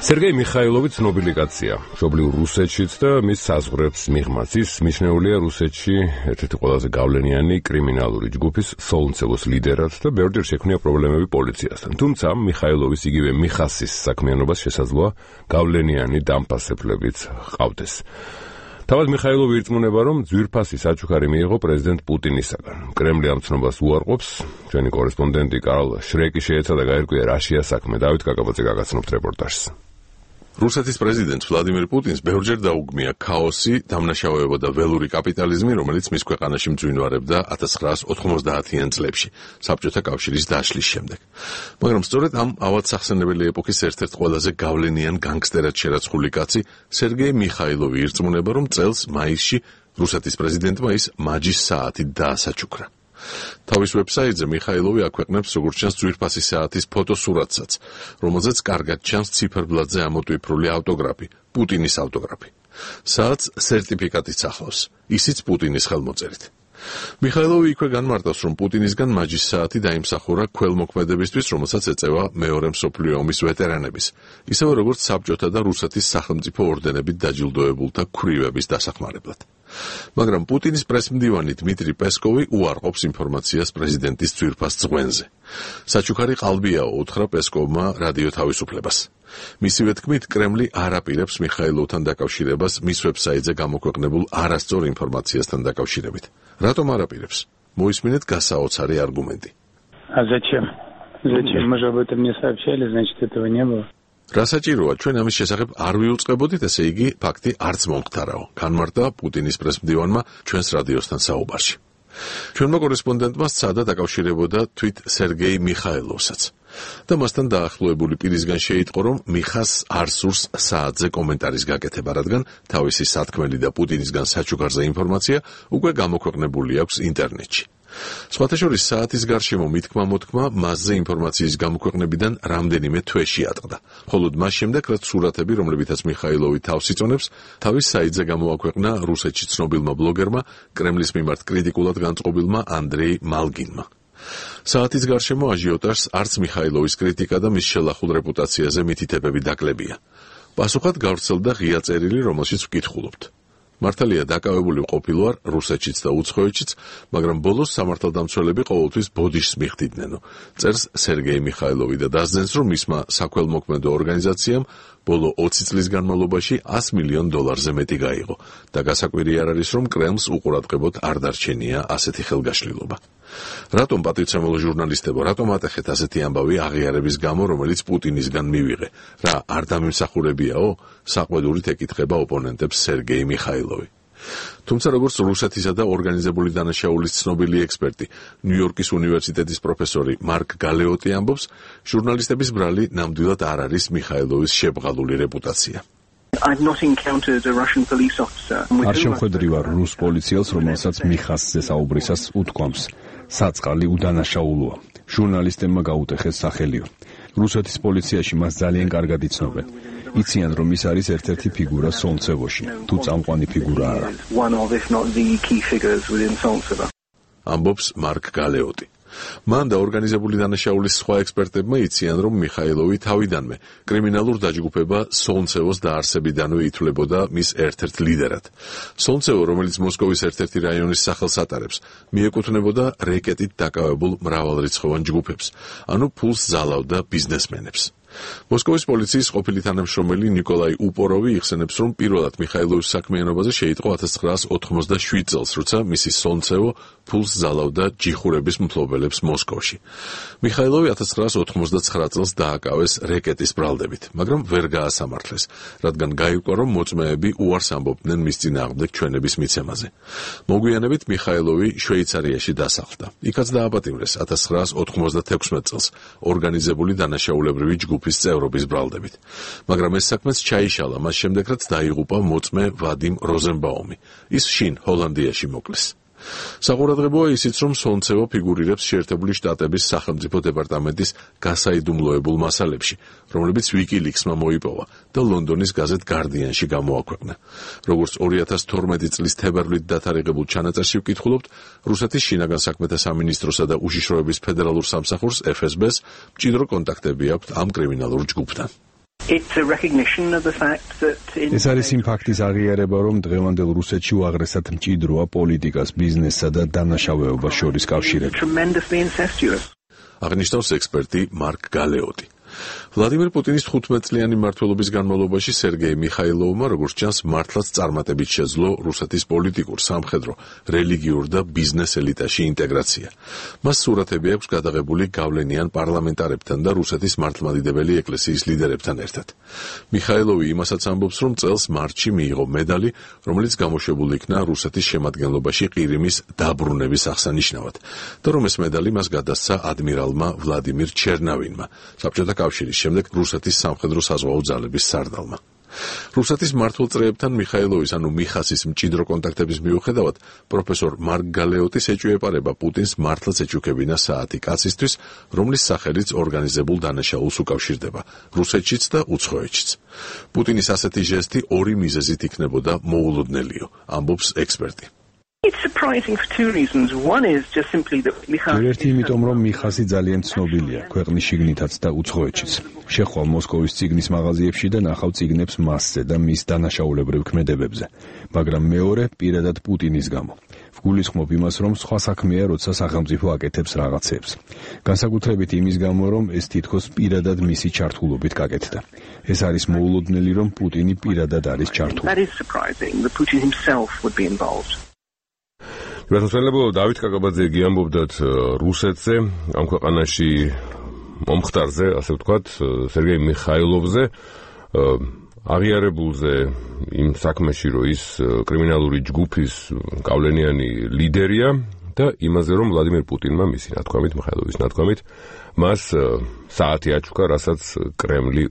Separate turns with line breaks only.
სერგეი მიხაილოვი ცნობილი კაცია, მშობლიურ რუსეთშიც და მის საზღვრებს მიღმაც. ის მიჩნეულია რუსეთში ერთ-ერთი ყველაზე გავლენიანი კრიმინალური ჯგუფის სოლნცევოს ლიდერად და ბევრჯერ შექმნია პრობლემები პოლიციასთან. თუმცა მიხაილოვის იგივე მიხასის საქმიანობას შესაძლოა გავლენიანი დამფასებლებიც ჰყავდეს. თავად მიხაილოვი ირწმუნება, რომ ძვირფასი საჩუქარი მიიღო პრეზიდენტ პუტინისაგან. კრემლი ამ ცნობას უარყოფს. ჩვენი კორესპონდენტი კარლ შრეკი შეეცადა გაერკვია რა შეა საქმე. დავით კაკაბაძე გაგაცნობთ რეპორტაჟს.
რუსეთის პრეზიდენტს ვლადიმირ პუტინს ბევრჯერ დაუგმია ქაოსი, დამნაშავეობა და ველური კაპიტალიზმი, რომელიც მის ქვეყანაში მძვინვარებდა 1990-იან წლებში, საბჭოთა კავშირის დაშლის შემდეგ. მაგრამ სწორედ ამ ავადსახსენებელი ეპოქის ერთ-ერთ ყველაზე გავლენიან განგსტერად შერაცხული კაცი, სერგეი მიხაილოვი ირწმუნება, რომ წელს მაისში რუსეთის პრეზიდენტმა ის მაჯის საათი დაასაჩუქრა. თავის ვებსაიტზე მიხაილოვი აქვეყნებს როგორც ჩანს ძვირფასი საათის ფოტოსურათსაც, რომელზეც კარგად ჩანს ციფერბლადზე ამოტვიფრული ავტოგრაფი, პუტინის ავტოგრაფი. საათს სერტიფიკატიც ახლავს, ისიც პუტინის ხელმოწერით. მიხაილოვი იქვე განმარტავს, რომ პუტინისგან მაჯის საათი დაიმსახურა ქველმოქმედებისთვის, რომელსაც ეწევა მეორე მსოფლიო ომის ვეტერანების, ისევე როგორც საბჭოთა და რუსეთის სახელმწიფო ორდენებით დაჯილდოებულთა ქვრივების დასახმარებლად. მაგრამ პუტინის პრესმდივანი დმიტრი პესკოვი უარყოფს ინფორმაციას პრეზიდენტის ძვირფას წვენზე. საჩუქარი ყალბიაო, უთხრა პესკოვმა რადიო თავისუფლებას. მისივე თქმით, კრემლი არ აპირებს მიხაილოვთან დაკავშირებას მის ვებსაიტზე გამოქვეყნებულ არასწორ ინფორმაციასთან დაკავშირებით. რატომ არ აპირებს? მოისმინეთ გასაოცარი არგუმენტი.
Зачем? Мы же об этом не сообщали, значит, этого не было.
რა საჭიროა, ჩვენ ამის შესახებ არ ვიუწყებოდით, ესე იგი, ფაქტი არც მომხდარაო, განმარტა პუტინის პრესმდივანმა ჩვენს რადიოსთან საუბარში. ჩვენმა კორესპონდენტმა სცადა დაკავშირებოდა თვით სერგეი მიხაილოვსაც და მასთან დაახლოებული პირისგან შეიტყო, რომ მიხას არ სურს საათზე კომენტარის გაკეთება, რადგან თავისი სათქმელი და პუტინისგან საჩუქარზე ინფორმაცია უკვე გამოქვეყნებული აქვს ინტერნეტში. სხვათა შორის საათის გარშემო მითქმა-მოთქმა მასზე ინფორმაციის გამოქვეყნებიდან რამდენიმე თვეში ატყდა. მხოლოდ მას შემდეგ, რაც სურათები, რომლებითაც მიხაილოვი თავს იწონებს, თავის საიტზე გამოაქვეყნა რუსეთში ცნობილმა ბლოგერმა, კრემლის მიმართ კრიტიკულად განწყობილმა ანდრეი მალგინმა. საათის გარშემო აჟიოტაჟს არც მიხაილოვის კრიტიკა და მის შელახულ რეპუტაციაზე მითითებები დაკლებია. პასუხად გავრცელდა ღია წერილი, რომელშიც ვკითხულობთ. მართალია დაკავებული ყოფილვარ რუსეთშიც და უცხოეთშიც, მაგრამ ბოლოს სამართალდამცველები ყოველთვის ბოდიშს მიხდიდნენ, წერს სერგეი მიხაილოვი და დასძენს, რომ მისმა საქველმოქმედო ორგანიზაციამ ბოლო 20 წლის განმავლობაში $100 მილიონ მეტი გაიღო და გასაკვირი არ არის, რომ კრემლს უყურადღებოდ არ დარჩენია ასეთი ხელგაშლილობა. რატომ პატივცემულო ჟურნალისტებო, რატომ ატეხეთ ასეთი ამბავი აღიარების გამო, რომელიც პუტინისგან მივიღე? რა არ დამიმსახურებიაო? საყვედურით ეკითხება ოპონენტებს სერგეი მიხაილოვი. თუმცა როგორც რუსეთისა და ორგანიზებული დანაშაულის ცნობილი ექსპერტი, ნიუ-იორკის უნივერსიტეტის პროფესორი მარკ გალეოტი ამბობს, ჟურნალისტების ბრალი ნამდვილად არ არის მიხაილოვის შებრალული რეპუტაცია.
არ შემხედრივ რუს პოლიციელს, რომელსაც მიხასზე საუბრისას უთქვამს, საწყალი უდანაშაულოა. ჟურნალისტებმა გაუტეხეს სახელიო. რუსეთის პოლიციაში მას ძალიან კარგად იცნობენ. იციან, რომ ის არის ერთ-ერთი ფიგურა სოლნცევოში, თუ წამყვანი ფიგურა არა.
ამბობს მარკ გალეოტი. მან და ორგანიზებული დანაშაულის სხვა ექსპერტებმა იციან, რომ მიხაილოვი თავიდანვე კრიმინალურ დაჯგუფება სოლნცევოს დაარსებიდანვე ითვლებოდა მის ერთ-ერთ ლიდერად. სოლნცევო, რომელიც მოსკოვის ერთ-ერთი რაიონის სახელს ატარებს, მიეკუთვნებოდა რეკეტით დაკავებულ მრავალრიცხოვან ჯგუფებს, ანუ ფულს ზალავდა ბიზნესმენებს. მოსკოვის პოლიციის ყოფილი თანამშრომელი ნიკოლაი უპოროვი იხსენებს, რომ პირველად მიხაილოვის საქმიანობაზე შეიტყო 1987 წელს, როცა მისი სოლნცევო ფულს ზალავდა ჯიხურების მფლობელებს მოსკოვში. მიხაილოვი 1989 წელს დააკავეს რეკეტის ბრალდებით, მაგრამ ვერ გაასამართლეს, რადგან გაირკვა, რომ მოწმეები უარს ამბობდნენ მის წინააღმდეგ ჩვენების მიცემაზე. მოგვიანებით მიხაილოვი შვეიცარიაში დასახლდა. იქაც დააპატიმრეს 1996 წელს ორგანიზებული დანაშაულებრივი ჯგუფის წევრობის ბრალდებით. მაგრამ ეს საქმეც ჩაიშალა მას შემდეგ, რაც დაიღუპა მოწმე ვადიმ როზენბაუმი. ის შინ ჰოლანდიაში მოკლეს. საყურადღებოა ისიც, რომ სოლნცევო ფიგურირებს შეერთებული შტატების სახელმწიფო დეპარტამენტის გასაიდუმლოებულ მასალებში, რომლებიც ვიკილიქსმა მოიპოვა და ლონდონის გაზეთ გარდიანში გამოაქვეყნა. როგორც 2012 წლის თებერვლით დათარიღებულ ჩანაწერში ვკითხულობთ, რუსეთის შინაგან საქმეთა სამინისტროსა და უშიშროების ფედერალურ სამსახურს FSB-ს მჭიდრო კონტაქტები აქვთ ამ კრიმინალურ ჯგუფთან.
It's a recognition of the fact that
ეს არის იმ ფაქტის აღიარება, რომ დღევანდელ რუსეთში უაღრესად მჭიდროა პოლიტიკას, ბიზნესსა და დანაშაუებას შორის კავშირები.
tremendously incestuous.
აღნიშნავს ექსპერტი მარკ გალეოტი. ვლადიმერ პუტინის 15 წლიანი მმართველობის განმავლობაში სერგეი მიხაილოვმა, როგორც ჩანს, მართლაც წარმატებით შეძლო რუსეთის პოლიტიკურ, სამხედრო, რელიგიურ და ბიზნეს ელიტაში ინტეგრაცია. მას სურათები აქვს გადაღებული გავლენიან პარლამენტარებთან და რუსეთის მართლმადიდებელი ეკლესიის ლიდერებთან ერთად. მიხაილოვი იმასაც ამბობს, რომ წელს მარტში მიიღო медаლი, რომელიც გამოშვებული იქნა რუსეთის შემადგენლობაში ყირიმის დაბრუნების აღსანიშნავად, და რომ ეს медаლი მას გადასცა ადმირალმა ვლადიმირ ჩერნავინმა, საბჭოთა კავშირის შემდეგ რუსეთის სამხედრო საზღვაო ძალების სარდალმა. რუსეთის მმართველ წრეებთან მიხაილოვის, ანუ მიხასის მჭიდრო კონტაქტების მიუხედავად, პროფესორ მარკ გალეოტის ეჭვიეპარება პუტინს მართლაც ეჩუქებინა საათი კაცისთვის, რომლის სახელიც ორგანიზებულ დანაშაულს უკავშირდება, რუსეთშიც და უცხოეთშიც. პუტინის ასეთი ჟესტი ორი მიზეზით იქნებოდა მოულოდნელიო, ამბობს ექსპერტი.
It's surprising for two reasons. One is just simply that
ერთი იმიტომ, რომ მიხასი ძალიან ცნობილია, ქვეყნის შიგნითაც და უცხოეთშიც. შეხვალ მოსკოვის ციგნის მაღაზიებში და ნახავ ციგნებს მასზე და მის დანაშაულებრივ ქმედებებზე, მაგრამ მეორე პირადად პუტინის გამო. ვგულისხმობ იმას, რომ სხვა საქმეა, როცა სახელმწიფო აკეთებს რაღაცებს. განსაკუთრებით იმის გამო, რომ ეს თითქოს პირადად მისი ჩართულობით გაკეთდა. ეს არის მოულოდნელი, რომ პუტინი პირადად არის ჩართული.
That is surprising that Putin himself would be involved.
გასასვლელო დავით კაკაბაძე გიამბობდათ რუსეთზე, ამ ქვეყანაში მომხდარზე, ასე ვთქვათ, სერგეი მიხაილოვზე, აღიარებულზე იმ საქმეში, რომ ის კრიმინალური ჯგუფის გავლენიანი ლიდერია და იმაზე, რომ ვლადიმერ პუტინმა მისი ნათქვამით, მიხაილოვის ნათქვამით, მას საათი აჩუქა, რასაც კრემლი